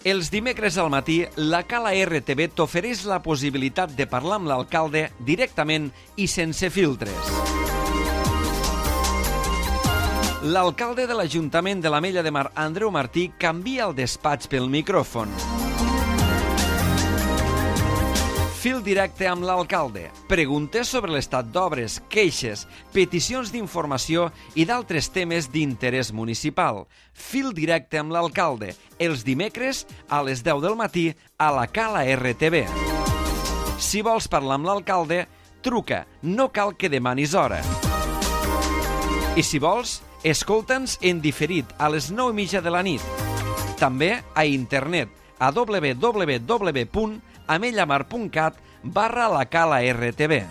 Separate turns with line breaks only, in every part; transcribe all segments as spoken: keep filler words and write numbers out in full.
Els dimecres al matí, la Cala R T V t'ofereix la possibilitat de parlar amb l'alcalde directament i sense filtres. L'alcalde de l'Ajuntament de l'Ametlla de Mar, Andreu Martí, canvia el despatx pel micròfon. Fil directe amb l'alcalde. Preguntes sobre l'estat d'obres, queixes, peticions d'informació i d'altres temes d'interès municipal. Fil directe amb l'alcalde. Els dimecres a les deu del matí a la Cala R T V. Si vols parlar amb l'alcalde, truca. No cal que demanis hora. I si vols, escolta'ns en diferit a les nou i mitja de la nit. També a internet a w w w punt amellamar punt cat barra la Cala R T V.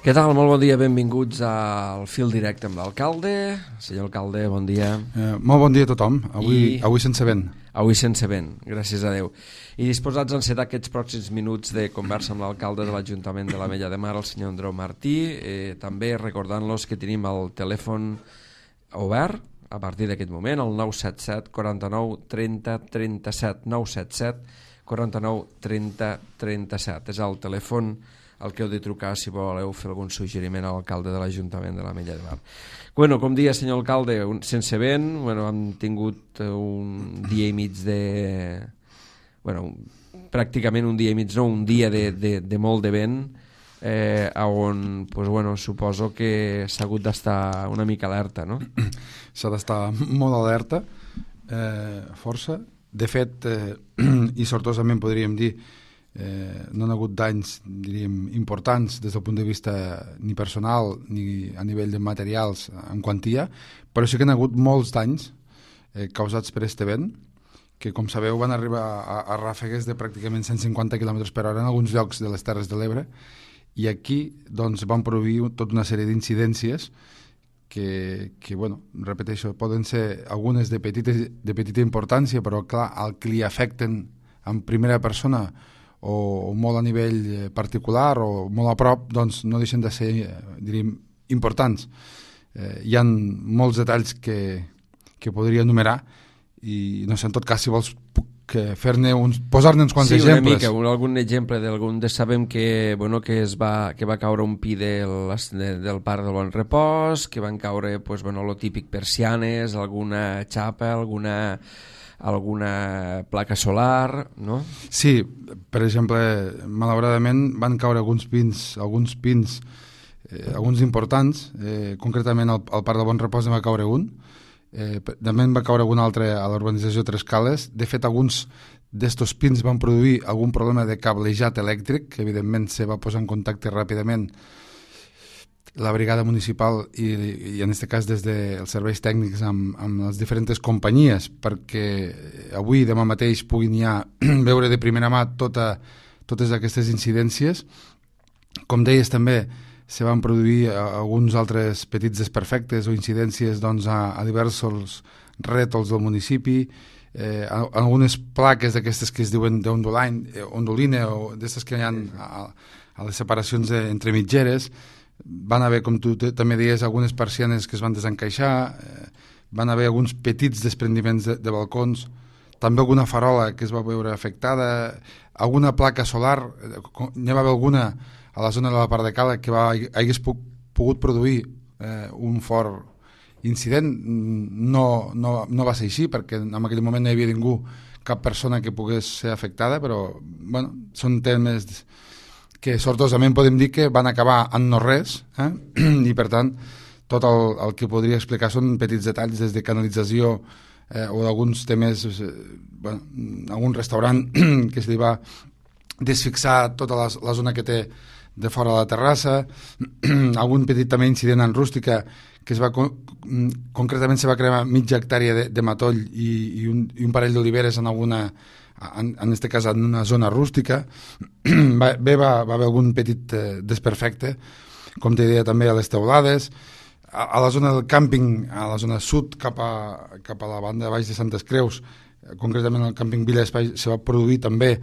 Què tal? Molt bon dia, benvinguts al Fil Directe amb l'alcalde. Senyor alcalde, bon dia.
Eh, molt bon dia a tothom, avui, I... avui sense vent.
Avui sense vent, gràcies a Déu. I disposats a encetar aquests pròxims minuts de conversa amb l'alcalde de l'Ajuntament de l'Ametlla de Mar, el senyor Andreu Martí, eh, també recordant-los que tenim el telèfon obert a partir d'aquest moment, el nou set set quaranta-nou trenta trenta-set, nou set set quaranta-nou trenta trenta-set. És el telèfon al que heu de trucar si voleu fer algun suggeriment a l'alcalde de l'Ajuntament de l'Ametlla de Mar. Bueno, com dia, senyor alcalde, un, sense vent, bueno, hem tingut un dia i mig de... Bueno, pràcticament un dia i mig, no, un dia de, de, de molt de vent, eh, on, pues, bueno, suposo que s'ha hagut d'estar una mica alerta, no?
S'ha d'estar molt alerta, eh, força. De fet, eh, i sortosament podríem dir, Eh, no han hagut danys, diríem, importants des del punt de vista ni personal ni a nivell de materials en quantia, però sí que han hagut molts danys eh, causats per este vent, que com sabeu van arribar a, a ràfegues de pràcticament cent cinquanta quilòmetres per hora en alguns llocs de les Terres de l'Ebre, i aquí doncs, van produir tota una sèrie d'incidències que, que, bueno, repeteixo, poden ser algunes de, petites, de petita importància, però clar, el que li afecten en primera persona o molt a nivell particular o molt a prop, doncs no deixen de ser, diríem, importants. Eh, hi ha molts detalls que, que podria enumerar i, no sé, en tot cas, si vols fer-ne uns, posar-ne uns quants
sí,
exemples.
Sí, una mica, un, algun exemple d'algun de sabem que, bueno, que, es va, que va caure un pi del, del Parc del Bon Repòs, que van caure, pues, bueno, lo típic, persianes, alguna xapa, alguna... alguna placa solar, no?
Sí, per exemple, malauradament van caure alguns pins, alguns pins, eh, alguns importants, eh, concretament al, al Parc del Bon Repòs en va caure un, eh, també en va caure un altre a l'urbanització Tres Cales. De fet, alguns d'estos pins van produir algun problema de cablejat elèctric, que evidentment se va posar en contacte ràpidament la brigada municipal i, i en aquest cas des dels serveis tècnics amb, amb les diferents companyies, perquè avui, demà mateix, puguin ja veure de primera mà tota, totes aquestes incidències. Com deies, també se van produir alguns altres petits desperfectes o incidències, doncs, a, a diversos rètols del municipi, eh, algunes plaques d'aquestes que es diuen d'onduline o d'aquestes que hi ha a, a les separacions de, entre mitgeres. Van haver, com tu també deies, algunes persianes que es van desencaixar, eh, van haver alguns petits desprendiments de, de balcons, també alguna farola que es va veure afectada, alguna placa solar, eh, n'hi va haver alguna a la zona de la part de Cala que va, hagués pu pogut produir eh, un fort incident. No, no, no va ser així, perquè en aquell moment no hi havia ningú, cap persona que pogués ser afectada, però bueno, són temes que sortosament podem dir que van acabar en no res, eh? I per tant tot el, el que podria explicar són petits detalls des de canalització eh, o d'alguns temes, eh, bueno, algun restaurant que se li va desfixar tota la, la zona que té de fora de la terrassa, algun petit també incident en rústica que es va, concretament se va cremar mitja hectàrea de, de matoll i, i, un, i un parell d'oliveres en alguna en, en este cas en una zona rústica. va, bé va, va haver algun petit eh, desperfecte, com te deia també a les teulades, a, a la zona del càmping, a la zona sud cap a, cap a la banda de baix de Santes Creus, concretament al càmping Vila d'Espai, se va produir també,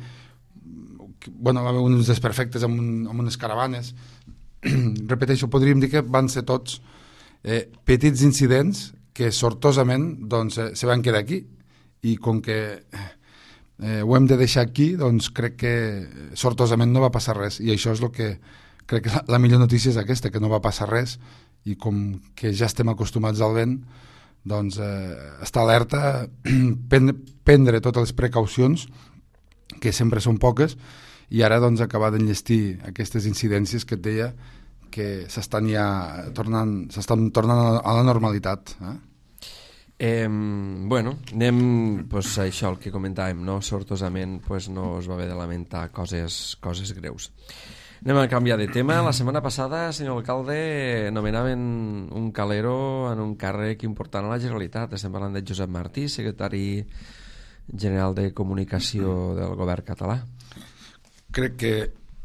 bueno, va haver uns desperfectes amb, un, amb unes caravanes. Repeteixo, podríem dir que van ser tots eh, petits incidents que sortosament doncs, eh, se van quedar aquí, i com que eh, ho hem de deixar aquí, doncs crec que sortosament no va passar res, i això és el que crec que la, la millor notícia és aquesta, que no va passar res, i com que ja estem acostumats al vent, doncs eh, estar alerta, prendre, prendre totes les precaucions, que sempre són poques, i ara doncs acabar d'enllestir aquestes incidències que et deia que s'estan ja tornant, s'estan tornant a la normalitat. Eh?
Eh, bueno, anem pues, a això el que comentàvem, no? Sortosament pues, no es va haver de lamentar coses, coses greus. Anem a canviar de tema. La setmana passada, senyor alcalde, nomenaven un calero en un càrrec important a la Generalitat. Estem parlant de Josep Martí, secretari general de Comunicació del govern català.
Crec que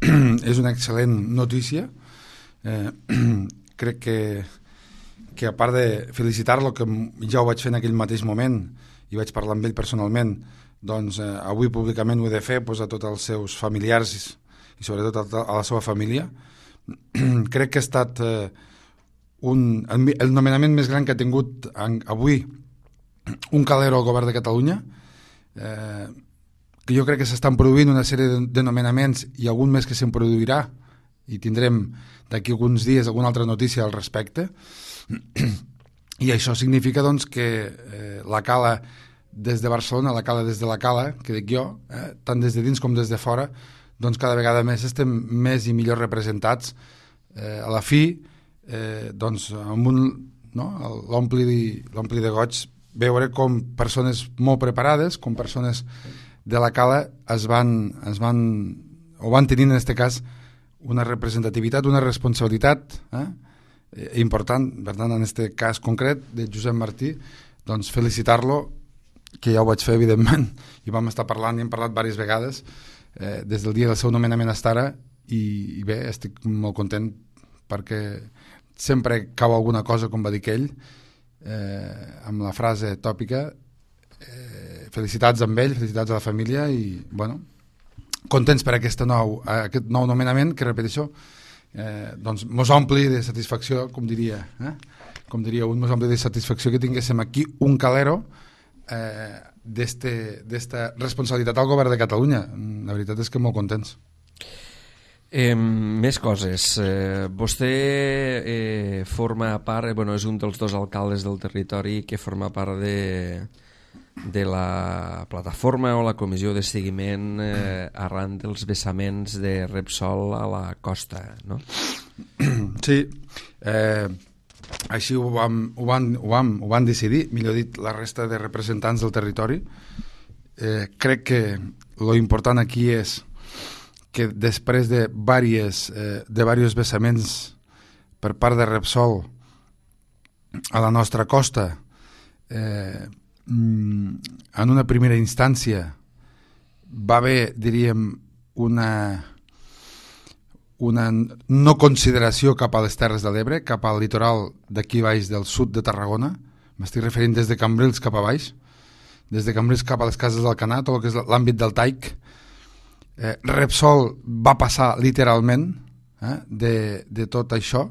és una excel·lent notícia. Eh, crec que, que a part de felicitar-lo, que ja ho vaig fer en aquell mateix moment i vaig parlar amb ell personalment, doncs eh, avui públicament ho he de fer pues, a tots els seus familiars i sobretot a la seva família. Crec que ha estat eh, un, el, el nomenament més gran que ha tingut en, avui un calero al govern de Catalunya. Eh, que jo crec que s'estan produint una sèrie de, de nomenaments i algun més que se'n produirà, i tindrem d'aquí alguns dies alguna altra notícia al respecte. I això significa doncs, que eh, la Cala des de Barcelona, la Cala des de la Cala, que dic jo, eh, tant des de dins com des de fora, doncs cada vegada més estem més i millor representats. Eh, a la fi, eh, doncs, amb un, no, l'ompli de goig veure com persones molt preparades, com persones de la Cala es van, es van, o van tenir en aquest cas una representativitat, una responsabilitat eh, important. Per tant, en aquest cas concret de Josep Martí, doncs felicitar-lo, que ja ho vaig fer evidentment, i vam estar parlant i hem parlat diverses vegades eh, des del dia del seu nomenament fins ara, i, i bé, estic molt content perquè sempre cau alguna cosa, com va dir ell, eh, amb la frase tòpica, eh, felicitats amb ell, felicitats a la família, i bueno, contents per aquest nou, aquest nou nomenament, que repeteixo, eh, doncs mos ompli de satisfacció, com diria, eh? com diria un, mos ompli de satisfacció que tinguéssim aquí un calero eh, d'esta responsabilitat al govern de Catalunya. La veritat és que molt contents.
Eh, més coses. Eh, vostè eh, forma part, eh, bueno, és un dels dos alcaldes del territori que forma part de, de la plataforma o la comissió de seguiment eh, arran dels vessaments de Repsol a la costa, no?
Sí, eh, així ho vam, ho, van, ho, vam, ho van decidir, millor dit, la resta de representants del territori. Eh, crec que lo important aquí és que després de diversos eh, de diversos vessaments per part de Repsol a la nostra costa, eh, en una primera instància va haver, diríem, una una no consideració cap a les Terres de l'Ebre, cap al litoral d'aquí baix del sud de Tarragona. M'estic referint des de Cambrils cap a baix, des de Cambrils cap a les Cases d'Alcanar, tot el que és l'àmbit del Taic. Eh, Repsol va passar literalment eh, de, de tot això,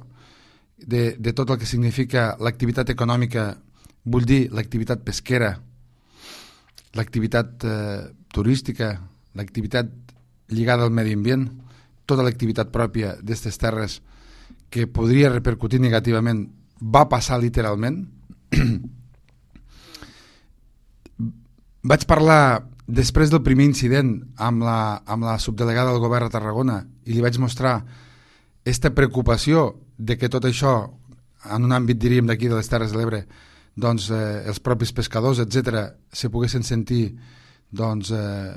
de, de tot el que significa l'activitat econòmica, vull dir l'activitat pesquera, l'activitat eh, turística, l'activitat lligada al medi ambient, tota l'activitat pròpia d'aquestes terres que podria repercutir negativament, va passar literalment. Vaig parlar després del primer incident amb la, amb la subdelegada del govern a Tarragona i li vaig mostrar aquesta preocupació de que tot això, en un àmbit, diríem, d'aquí de les Terres de l'Ebre, doncs eh, els propis pescadors, etcètera, se poguessin sentir, doncs, eh,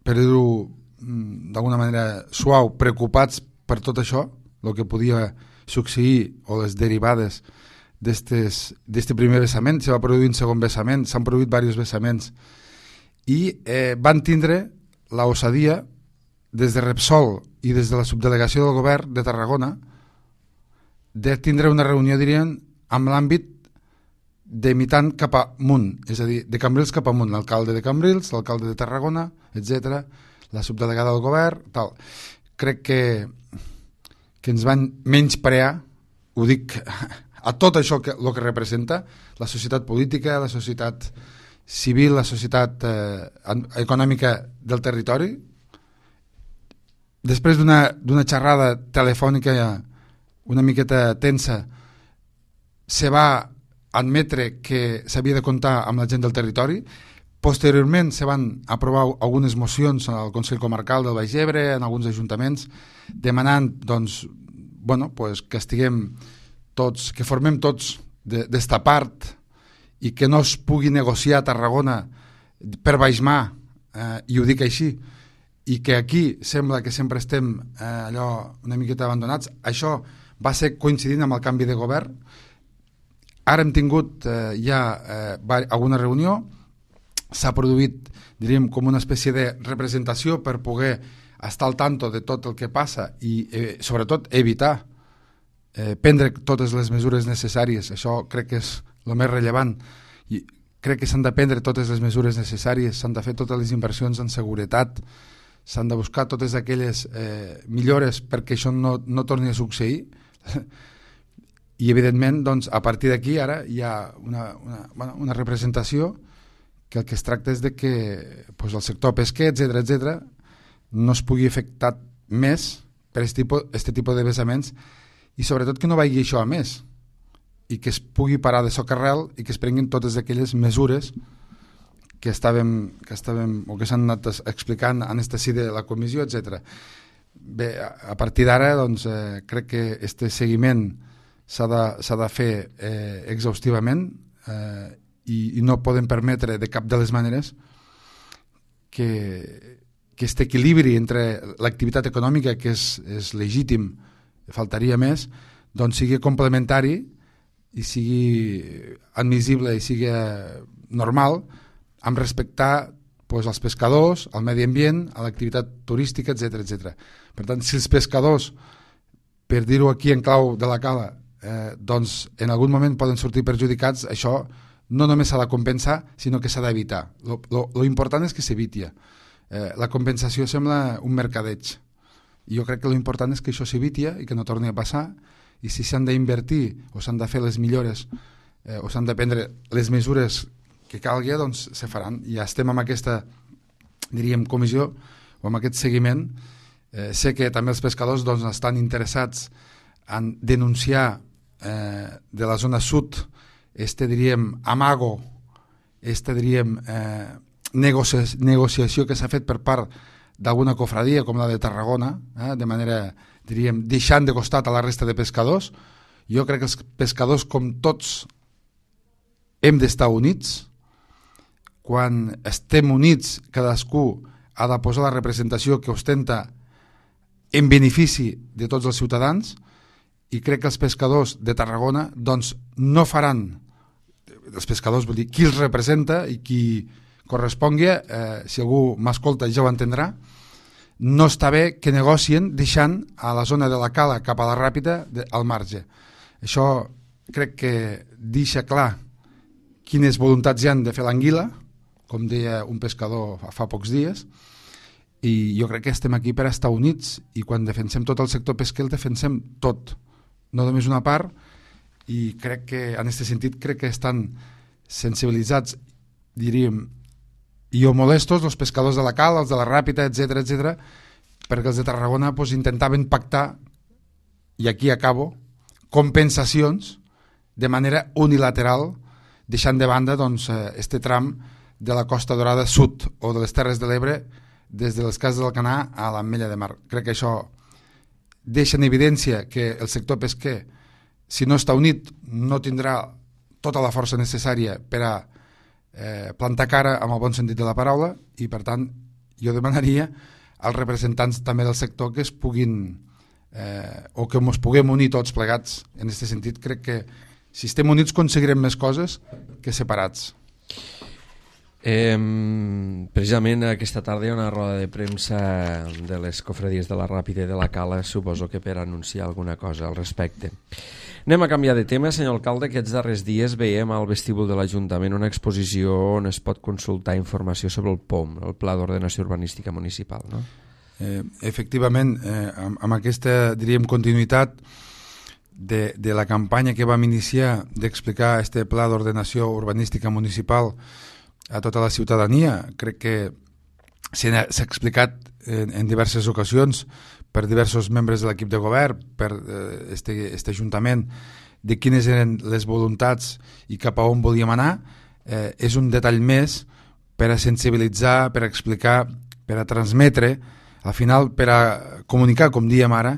per dir-ho d'alguna manera suau, preocupats per tot això, el que podia succeir o les derivades d'aquest primer vessament. Se va produir un segon vessament, s'han produït diversos vessaments i eh, van tindre l'osadia des de Repsol i des de la subdelegació del govern de Tarragona de tindre una reunió, dirien, amb l'àmbit de mitant cap amunt, és a dir, de Cambrils cap amunt, l'alcalde de Cambrils, l'alcalde de Tarragona, etcètera, la subdelegada del govern, tal. Crec que, que ens van menysprear, ho dic, a tot això que, el que representa, la societat política, la societat civil, la societat eh, econòmica del territori. Després d'una d'una xerrada telefònica una miqueta tensa, se va admetre que s'havia de comptar amb la gent del territori. Posteriorment se van aprovar algunes mocions al Consell Comarcal del Baix Ebre, en alguns ajuntaments, demanant doncs, bueno, pues, que estiguem tots, que formem tots d'esta part i que no es pugui negociar a Tarragona per baix mà, eh, i ho dic així, i que aquí sembla que sempre estem eh, allò una miqueta abandonats. Això va ser coincidint amb el canvi de govern. Ara hem tingut eh, ja eh, alguna reunió, s'ha produït, diríem, com una espècie de representació per poder estar al tanto de tot el que passa i eh, sobretot evitar eh, prendre totes les mesures necessàries. Això crec que és el més rellevant. I crec que s'han de prendre totes les mesures necessàries, s'han de fer totes les inversions en seguretat, s'han de buscar totes aquelles eh, millores perquè això no, no torni a succeir. I evidentment doncs, a partir d'aquí ara hi ha una, una, bueno, una representació que el que es tracta és de que pues, el sector pesquer, etcètera, etcètera, no es pugui afectar més per aquest tipus, tipus de vessaments i sobretot que no vagi això a més i que es pugui parar de socarrel i que es prenguin totes aquelles mesures que estàvem, que estàvem o que s'han anat explicant en aquesta sí de la comissió, etcètera. Bé, a partir d'ara doncs, eh, crec que aquest seguiment s'ha de, s'ha de fer eh, exhaustivament eh, i, i no podem permetre de cap de les maneres que, que aquest equilibri entre l'activitat econòmica, que és, és legítim, faltaria més, doncs sigui complementari i sigui admissible i sigui normal amb respectar pues, els pescadors, al medi ambient, a l'activitat turística, etcètera, etcètera. Per tant, si els pescadors, per dir-ho aquí en clau de la cala, eh, doncs en algun moment poden sortir perjudicats, això no només s'ha de compensar, sinó que s'ha d'evitar. Lo, lo, lo important és que s'eviti. Eh, la compensació sembla un mercadeig. I jo crec que lo important és que això s'eviti i que no torni a passar, i si s'han d'invertir o s'han de fer les millores eh, o s'han de prendre les mesures que calgui, doncs se faran. I ja estem amb aquesta, diríem, comissió o amb aquest seguiment. Eh, sé que també els pescadors doncs, estan interessats en denunciar eh, de la zona sud este, diríem, amago, este, diríem, eh, negocia negociació que s'ha fet per part d'alguna cofradia com la de Tarragona, eh, de manera, diríem, deixant de costat a la resta de pescadors. Jo crec que els pescadors, com tots, hem d'estar units. Quan estem units, cadascú ha de posar la representació que ostenta en benefici de tots els ciutadans, i crec que els pescadors de Tarragona doncs, no faran, els pescadors, vull dir, qui els representa i qui correspongui, eh, si algú m'escolta ja ho entendrà, no està bé que negocien deixant a la zona de la cala cap a la Ràpita de, al marge. Això crec que deixa clar quines voluntats hi han de fer l'anguila, com deia un pescador fa, fa pocs dies, i jo crec que estem aquí per estar units, i quan defensem tot el sector pesquer el defensem tot, no només una part, i crec que en aquest sentit crec que estan sensibilitzats, diríem, i o molestos els pescadors de la cala, els de la Ràpita, etcètera, etcètera, perquè els de Tarragona pues, intentaven pactar, i aquí acabo, compensacions de manera unilateral, deixant de banda doncs, este tram de la Costa Dorada Sud o de les Terres de l'Ebre des de les Cases d'Alcanar a l'Ametlla de Mar. Crec que això deixa en evidència que el sector pesquer, si no està unit, no tindrà tota la força necessària per a eh, plantar cara amb el bon sentit de la paraula, i per tant jo demanaria als representants també del sector que es puguin eh, o que ens puguem unir tots plegats. En aquest sentit crec que si estem units aconseguirem més coses que separats.
Eh, precisament aquesta tarda hi ha una roda de premsa de les cofradies de la Ràpida i de la Cala, suposo que per anunciar alguna cosa al respecte. Anem a canviar de tema, senyor alcalde. Aquests darrers dies veiem al vestíbul de l'Ajuntament una exposició on es pot consultar informació sobre el P O M, el Pla d'Ordenació Urbanística Municipal, no?
Eh, efectivament, eh, amb, amb aquesta, diríem, continuïtat de, de la campanya que vam iniciar d'explicar este Pla d'Ordenació Urbanística Municipal a tota la ciutadania, crec que s'ha explicat en, en diverses ocasions per diversos membres de l'equip de govern, per eh, este, este Ajuntament, de quines eren les voluntats i cap a on volíem anar. Eh, és un detall més per a sensibilitzar, per a explicar, per a transmetre, al final per a comunicar, com diem ara,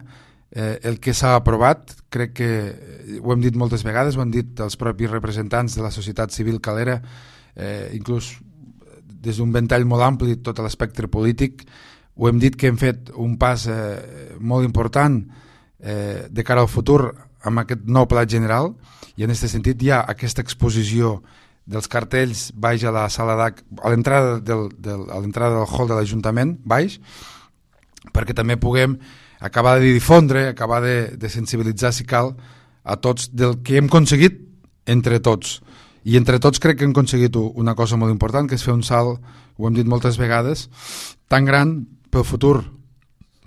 eh, el que s'ha aprovat. Crec que ho hem dit moltes vegades, ho han dit els propis representants de la societat civil calera, eh, inclús des d'un ventall molt ampli, tot l'espectre polític. Ho hem dit que hem fet un pas eh, molt important eh, de cara al futur amb aquest nou pla general, i en aquest sentit hi ha aquesta exposició dels cartells baix a la sala d'H, a l'entrada del, del, a l'entrada del hall de l'Ajuntament, baix, perquè també puguem acabar de difondre, acabar de, de sensibilitzar, si cal, a tots del que hem aconseguit entre tots. I entre tots crec que hem aconseguit una cosa molt important, que és fer un salt, ho hem dit moltes vegades, tan gran pel futur,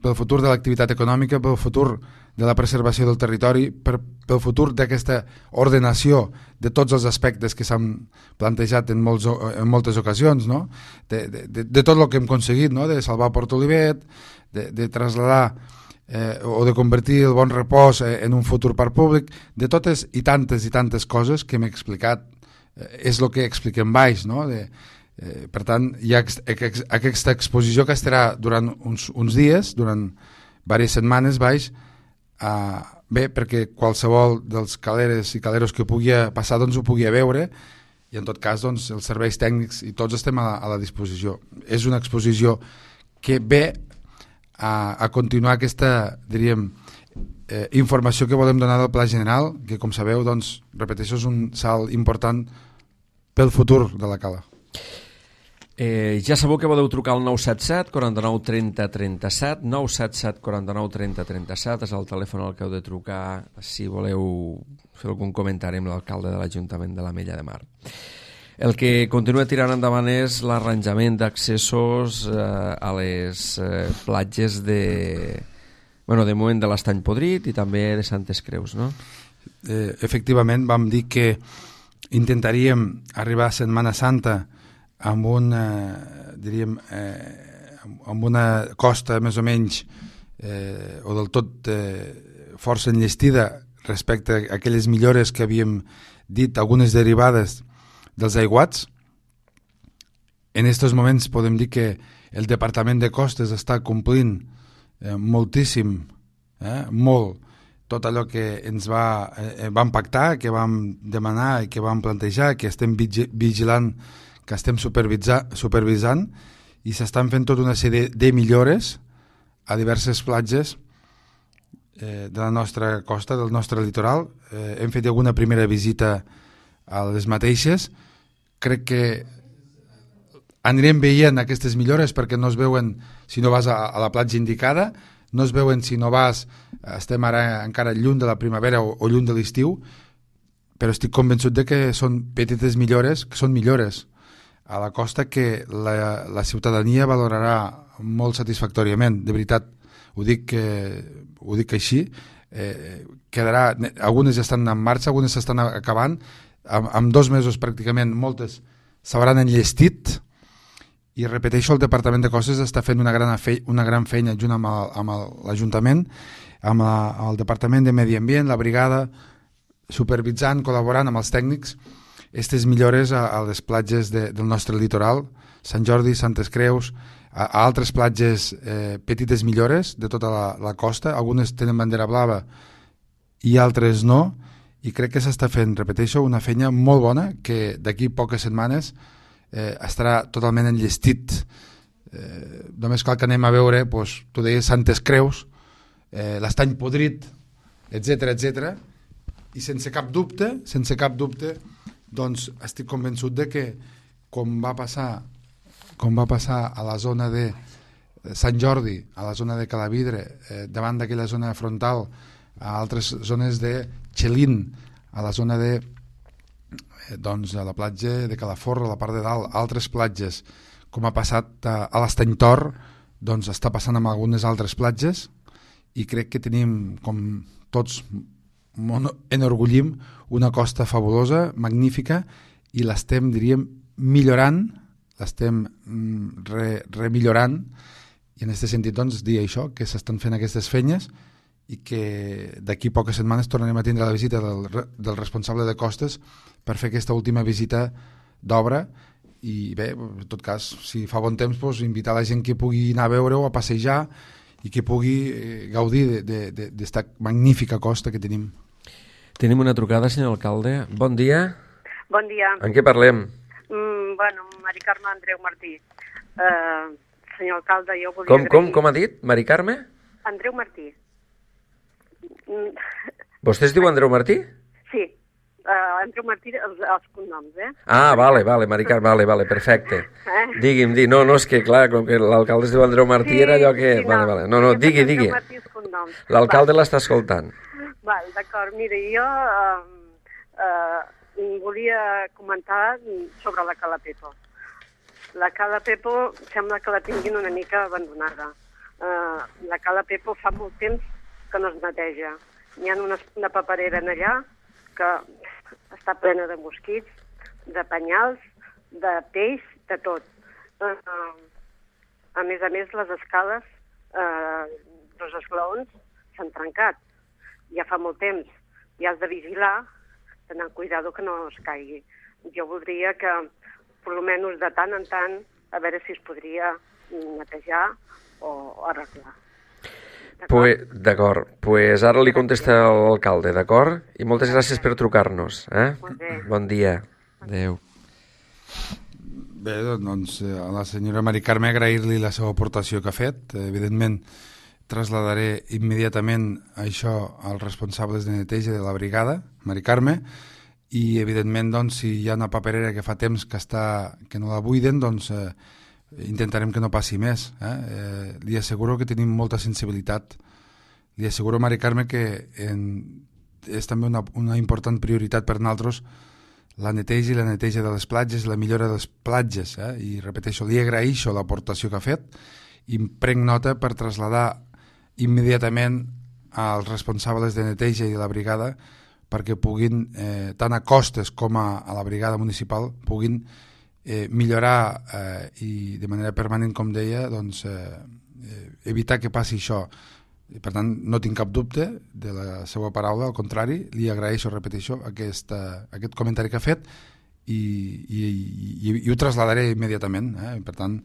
pel futur de l'activitat econòmica, pel futur de la preservació del territori, per, pel futur d'aquesta ordenació de tots els aspectes que s'han plantejat en, molts, en moltes ocasions, no? de, de, de, de tot el que hem aconseguit, no? De salvar Port Olivet, de, de traslladar eh, o de convertir el Bon Repòs en un futur parc públic, de totes i tantes i tantes coses que hem explicat. És el que expliquem baix, no? De, eh, per tant, hi ha aquesta exposició que estarà durant uns, uns dies, durant diverses setmanes baix, eh, bé, perquè qualsevol dels caleres i caleros que pugui passar doncs ho pugui veure, i en tot cas doncs, els serveis tècnics i tots estem a la, a la disposició. És una exposició que ve a, a continuar aquesta, diríem, Eh, informació que volem donar del Pla General, que com sabeu, doncs, repeteixo, és un salt important pel futur de la Cala.
Eh, ja sabeu que podeu trucar al nou set set, quaranta-nou, trenta, trenta-set, nou set set, quaranta-nou, trenta, trenta-set, és el telèfon al que heu de trucar si voleu fer algun comentari amb l'alcalde de l'Ajuntament de l'Ametlla de Mar. El que continua tirant endavant és l'arranjament d'accessos eh, a les eh, platges de... Bueno, de moment de l'Estany Podrit i també de Santes Creus, no?
Eh, efectivament, vam dir que intentaríem arribar a Setmana Santa amb una, diríem, eh, amb una costa més o menys eh, o del tot eh, força enllestida respecte a aquelles millores que havíem dit, algunes derivades dels aiguats. En aquests moments podem dir que el Departament de Costes està complint Eh, moltíssim, eh, molt, tot allò que ens va, eh, vam pactar, que vam demanar i que vam plantejar, que estem vigilant, que estem supervisant, i s'estan fent tota una sèrie de millores a diverses platges eh, de la nostra costa, del nostre litoral. Eh, hem fet alguna primera visita a les mateixes. Crec que anirem veient aquestes millores perquè no es veuen si no vas a, a la platja indicada, no es veuen si no vas, estem ara encara lluny de la primavera o, o lluny de l'estiu, però estic convençut de que són petites millores, que són millores a la costa que la, la ciutadania valorarà molt satisfactòriament. De veritat, ho dic, que, ho dic així, eh, quedarà, algunes ja estan en marxa, algunes s'estan acabant, amb, amb dos mesos pràcticament moltes s'hauran enllestit, i repeteixo, el Departament de Costes està fent una gran, fe, una gran feina junt amb, el, amb l'Ajuntament, amb la, el Departament de Medi Ambient, la brigada, supervisant, col·laborant amb els tècnics, aquestes millores a, a les platges de, del nostre litoral, Sant Jordi, Santes Creus, a, a altres platges, eh, petites millores de tota la, la costa, algunes tenen bandera blava i altres no, i crec que s'està fent, repeteixo, una feina molt bona que d'aquí poques setmanes Eh, estarà totalment enllestit. Eh, només cal que anem a veure, doncs, tu deies Santes Creus, eh, l'Estany Podrit, etcètera, etcètera, i sense cap dubte, sense cap dubte, doncs estic convençut de que com va passar, com va passar a la zona de Sant Jordi, a la zona de Calavidre, eh, davant d'aquella zona frontal, a altres zones de Xelín, a la zona de eh, doncs, a la platja de Calaforra, a la part de dalt, altres platges, com ha passat a, a l'Estany Tor, doncs està passant amb algunes altres platges, i crec que tenim, com tots enorgullim, una costa fabulosa, magnífica, i l'estem, diríem, millorant, l'estem re, remillorant, i en aquest sentit, doncs, dir això, que s'estan fent aquestes feines i que d'aquí poques setmanes tornarem a tindre la visita del, del responsable de costes per fer aquesta última visita d'obra. I bé, en tot cas, si fa bon temps, doncs, invitar la gent que pugui anar a veure-ho, a passejar, i que pugui eh, gaudir d'esta magnífica costa que tenim.
Tenim una trucada, senyor alcalde. Bon dia.
Bon dia.
En què parlem?
Mm, bueno, Mari Carme Andreu Martí. Uh, senyor alcalde, jo volia
com,
agrair...
Com, com ha dit? Mari Carme?
Andreu Martí. Mm.
Vostè es diu Andreu Martí?
Sí. Uh, Andreu Martí, els, els cognoms, eh?
Ah, vale, vale, Mari Carme, vale, vale, perfecte.
Eh?
Digui'm, di, no, no, és que clar, com que l'alcalde es diu Andreu Martí, sí, era allò que...
Sí,
vale,
no,
vale, no, no, digui, digui. L'alcalde l'està escoltant.
Val, d'acord, mira, jo uh, uh, volia comentar sobre la Cala Pepo. La Cala Pepo sembla que la tinguin una mica abandonada. Uh, la Cala Pepo fa molt temps que no es neteja. N'hi ha una, una paperera en allà que està plena de mosquits, de penyals, de peix, de tot. Uh, a més a més, les escales uh, dels esglaons s'han trencat. Ja fa molt temps. I has de vigilar, tenir cuidado que no es caigui. Jo voldria que, per almenys de tant en tant, a veure si es podria netejar o arreglar.
Pues, d'acord, pues ara li contesta l'alcalde, d'acord? I moltes gràcies per trucar-nos. Eh? Bon dia. Adéu.
Bé, doncs a la senyora Mari Carme agrair-li la seva aportació que ha fet. Evidentment, trasladaré immediatament això als responsables de neteja de la brigada, Mari Carme, i evidentment, doncs, si hi ha una paperera que fa temps que, està, que no la buiden, doncs eh, intentarem que no passi més. Eh? Eh, li asseguro que tenim molta sensibilitat. Li asseguro, Mari Carme, que en, és també una, una important prioritat per nosaltres la neteja i la neteja de les platges, la millora de les platges. Eh? I repeteixo, li agraeixo l'aportació que ha fet i em prenc nota per traslladar immediatament als responsables de neteja i de la brigada perquè puguin, eh, tant a costes com a, a la brigada municipal, puguin eh, millorar eh, i de manera permanent, com deia, doncs, eh, evitar que passi això. I, per tant, no tinc cap dubte de la seva paraula, al contrari, li agraeixo, repeteixo, aquesta, aquest comentari que ha fet i, i, i, i ho traslladaré immediatament. Eh? Per tant,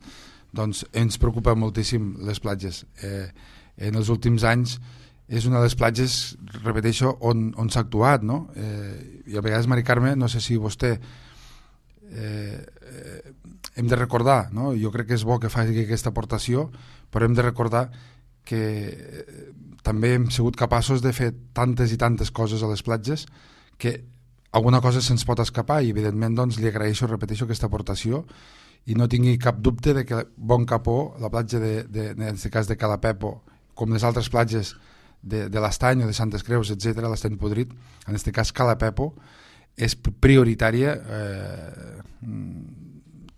doncs, ens preocupa moltíssim les platges. Eh, en els últims anys és una de les platges, repeteixo, on, on s'ha actuat, no? Eh, I a vegades, Mari Carme, no sé si vostè eh, eh, hem de recordar, no? Jo crec que és bo que faci aquesta aportació, però hem de recordar que eh, també hem sigut capaços de fer tantes i tantes coses a les platges que alguna cosa se'ns pot escapar i evidentment doncs, li agraeixo, repeteixo, aquesta aportació i no tingui cap dubte de que Bon Capó, la platja de, de, en aquest cas de Cala Pepo, com les altres platges de, de l'Estany o de Santes Creus, etcètera, l'Estany Podrit, en aquest cas Cala Pepo, és prioritària eh,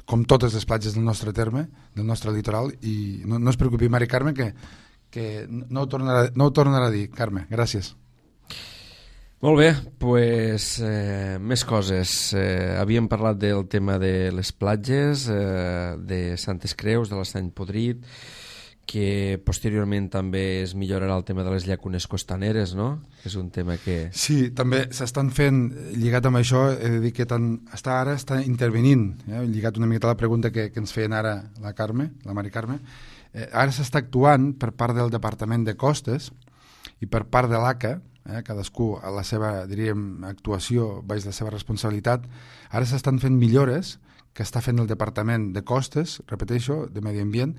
com totes les platges del nostre terme, del nostre litoral, i no, no es preocupi, Mari Carme, que, que no, ho tornarà, no ho tornarà a dir. Carme, gràcies.
Molt bé, pues, eh, més coses. Eh, havíem parlat del tema de les platges, eh, de Santes Creus, de l'Estany Podrit, que posteriorment també es millorarà el tema de les llacunes costaneres, no? És un tema que...
Sí, també s'estan fent, lligat amb això, he de dir que tant, està ara està intervenint, eh? Lligat una miqueta a la pregunta que, que ens feien ara la Carme, la Mari Carme, eh, ara s'està actuant per part del Departament de Costes i per part de l'A C A, eh? Cadascú a la seva, diríem, actuació baix la seva responsabilitat, ara s'estan fent millores que està fent el Departament de Costes, repeteixo, de Medi Ambient,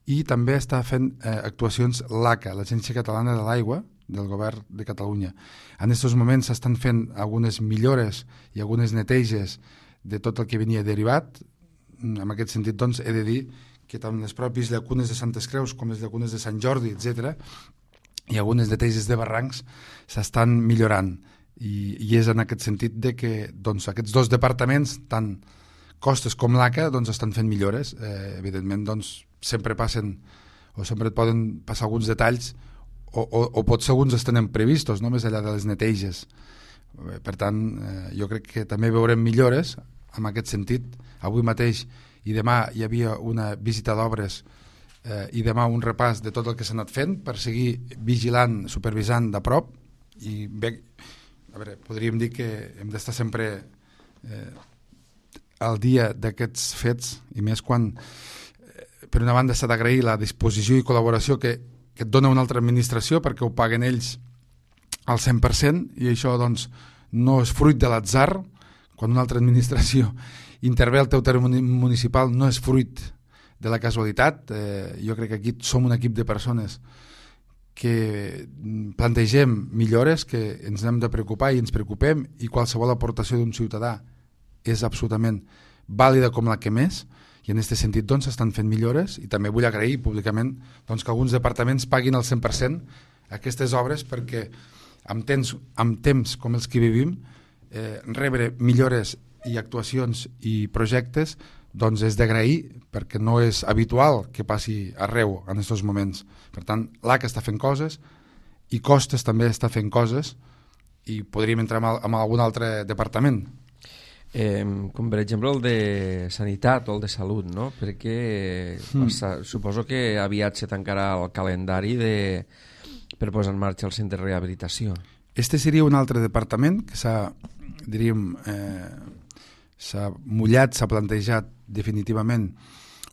i també està fent eh, actuacions l'A C A, l'Agència Catalana de l'Aigua del Govern de Catalunya. En aquests moments s'estan fent algunes millores i algunes neteges de tot el que venia derivat, en aquest sentit, doncs, he de dir que tant les pròpies llacunes de Santes Creus com les llacunes de Sant Jordi, etcètera, i algunes de Teises de Barrancs s'estan millorant. I, i és en aquest sentit de que doncs, aquests dos departaments, tant Costes com l'A C A, doncs, estan fent millores. Eh, evidentment, doncs, sempre passen o sempre et poden passar alguns detalls o, o, o potser alguns es tenen previstos, no? Més enllà de les neteges. Per tant, eh, jo crec que també veurem millores en aquest sentit. Avui mateix i demà hi havia una visita d'obres eh, i demà un repàs de tot el que s'ha anat fent per seguir vigilant, supervisant de prop. I bé, a veure, podríem dir que hem d'estar sempre eh, al dia d'aquests fets, i més quan eh, per una banda s'ha d'agrair la disposició i col·laboració que, que et dona una altra administració perquè ho paguen ells al cent per cent, i això doncs no és fruit de l'atzar. Quan una altra administració intervé al teu terme municipal no és fruit de la casualitat. Eh, jo crec que aquí som un equip de persones que plantegem millores, que ens hem de preocupar i ens preocupem, i qualsevol aportació d'un ciutadà és absolutament vàlida com la que més, i en aquest sentit doncs estan fent millores. I també vull agrair públicament doncs, que alguns departaments paguin al cent per cent aquestes obres, perquè amb temps, amb temps com els que vivim, eh, rebre millores i actuacions i projectes doncs és d'agrair, perquè no és habitual que passi arreu en aquests moments. Per tant, l'A C A està fent coses i Costes també està fent coses, i podríem entrar en, en algun altre departament.
Eh, com per exemple el de Sanitat o el de Salut, no? Perquè mm. passa, suposo que aviat se tancarà el calendari de, per posar en marxa el centre de rehabilitació.
Este seria un altre departament que s'ha, diríem, eh, s'ha mullat, s'ha plantejat definitivament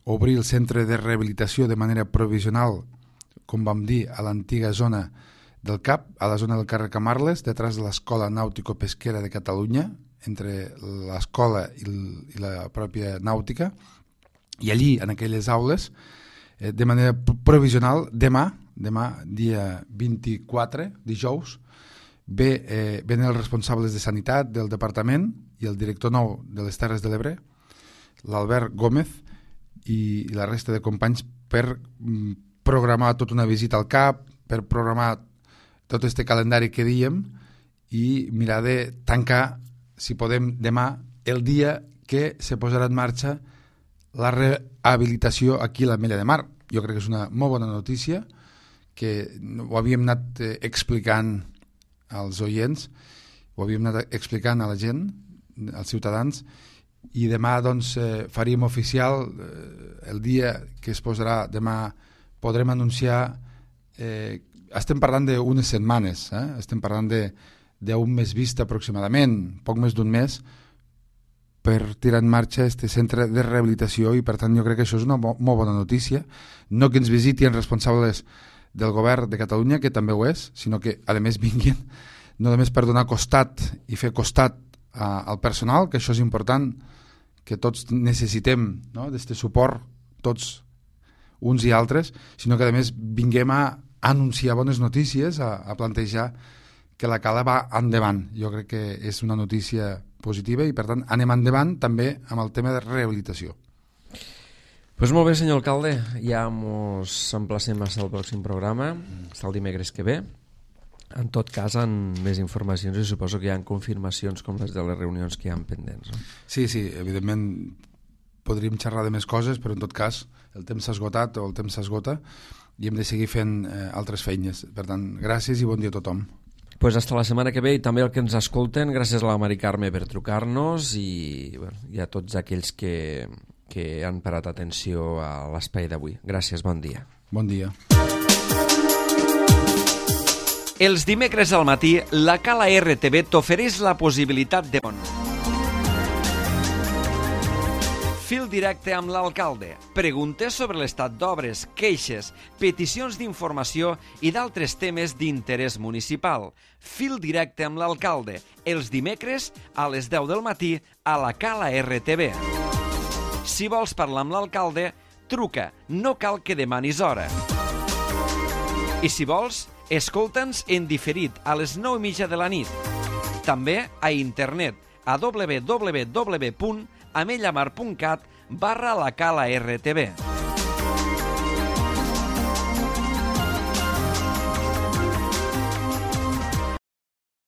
obrir el centre de rehabilitació de manera provisional, com vam dir, a l'antiga zona del C A P, a la zona del carrer Camarles, detrás de l'Escola Nàutico-Pesquera de Catalunya, entre l'escola i, i la pròpia nàutica, i allí, en aquelles aules, eh, de manera provisional, demà, demà, dia vint-i-quatre, dijous, ve, eh, venen els responsables de Sanitat del departament i el director nou de les Terres de l'Ebre, l'Albert Gómez, i, i la resta de companys, per mm, programar tota una visita al C A P, per programar tot este calendari que dèiem, i mirar de tancar, si podem, demà, el dia que se posarà en marxa la rehabilitació aquí a l'Ametlla de Mar. Jo crec que és una molt bona notícia, que ho havíem anat eh, explicant als oients, ho havíem anat explicant a la gent, als ciutadans, i demà doncs, eh, faríem oficial eh, el dia que es posarà. Demà podrem anunciar, eh, estem parlant d'unes setmanes, eh? estem parlant de d'un mes vista aproximadament, poc més d'un mes, per tirar en marxa aquest centre de rehabilitació, i per tant jo crec que això és una bo molt bona notícia. No que ens visitin responsables del govern de Catalunya, que també ho és, sinó que a més vinguin no només per donar costat i fer costat a, al personal, que això és important, que tots necessitem, no? d'aquest suport, tots uns i altres, sinó que a més vinguem a anunciar bones notícies, a, a plantejar que la Cala va endavant. Jo crec que és una notícia positiva, i per tant anem endavant també amb el tema de rehabilitació.
Pues molt bé, senyor alcalde, ja ens emplacem al pròxim programa, està el dimecres que ve. En tot cas, amb més informacions, i suposo que hi ha confirmacions com les de les reunions que hi ha pendents. No?
Sí, sí, evidentment podríem xerrar de més coses, però en tot cas el temps s'ha esgotat o el temps s'esgota i hem de seguir fent eh, altres feines. Per tant, gràcies i bon dia a tothom.
Pues hasta la setmana que ve, i també el que ens escolten, gràcies a la Mari Carme per trucar-nos, i, bueno, i a tots aquells que, que han parat atenció a l'espai d'avui. Gràcies, bon dia.
Bon dia.
Els dimecres al matí, la Cala R T V t'ofereix la possibilitat de... Fil directe amb l'alcalde. Preguntes sobre l'estat d'obres, queixes, peticions d'informació i d'altres temes d'interès municipal. Fil directe amb l'alcalde. Els dimecres a les deu del matí a la Cala R T V. Si vols parlar amb l'alcalde, truca. No cal que demanis hora. I si vols, escolta'ns en diferit a les nou i mitja de la nit. També a internet a w w w punt amellamar punt cat
barra la cala R T B.